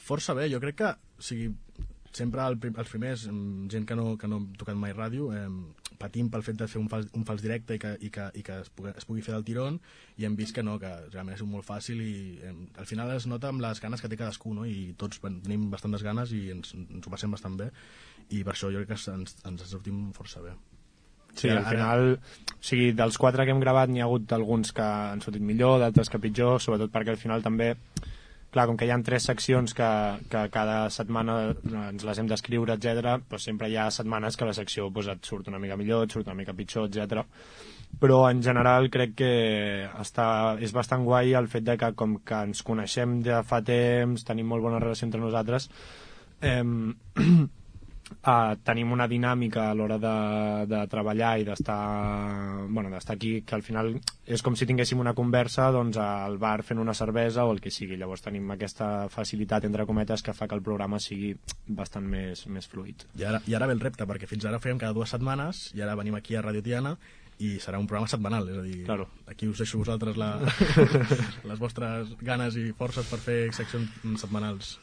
Força bé, jo crec que, o sigui, sempre els primers, gent que no hem tocat mai ràdio, patim pel fet de fer un fals directe i que es pugui fer del tirón, i hem vist que no, que realment és molt fàcil i al final es nota amb les ganes que té cadascú, no? I tots tenim bastantes ganes i ens ho passem bastant bé, i per això jo crec que ens sortim força bé. Sí, al final, o sigui, dels 4 que hem gravat n'hi ha hagut alguns que han sortit millor, d'altres que pitjor, sobretot perquè al final també, clar, com que hi ha 3 seccions que cada setmana ens les hem d'escriure, etc., doncs sempre hi ha setmanes que la secció et surt una mica millor, et surt una mica pitjor, etc. Però en general crec que és bastant guai el fet de que com que ens coneixem de fa temps, tenim molt bona relació entre nosaltres, tenim una dinàmica a l'hora de treballar i d'estar aquí, que al final és com si tinguéssim una conversa doncs, al bar fent una cervesa o el que sigui. Llavors tenim aquesta facilitat, entre cometes, que fa que el programa sigui bastant més fluid. I ara ve el repte, perquè fins ara ho fèiem cada 2 setmanes i ara venim aquí a Radio Tiana i serà un programa setmanal, és a dir, claro. Aquí us deixo vosaltres les vostres ganes i forces per fer seccions setmanals.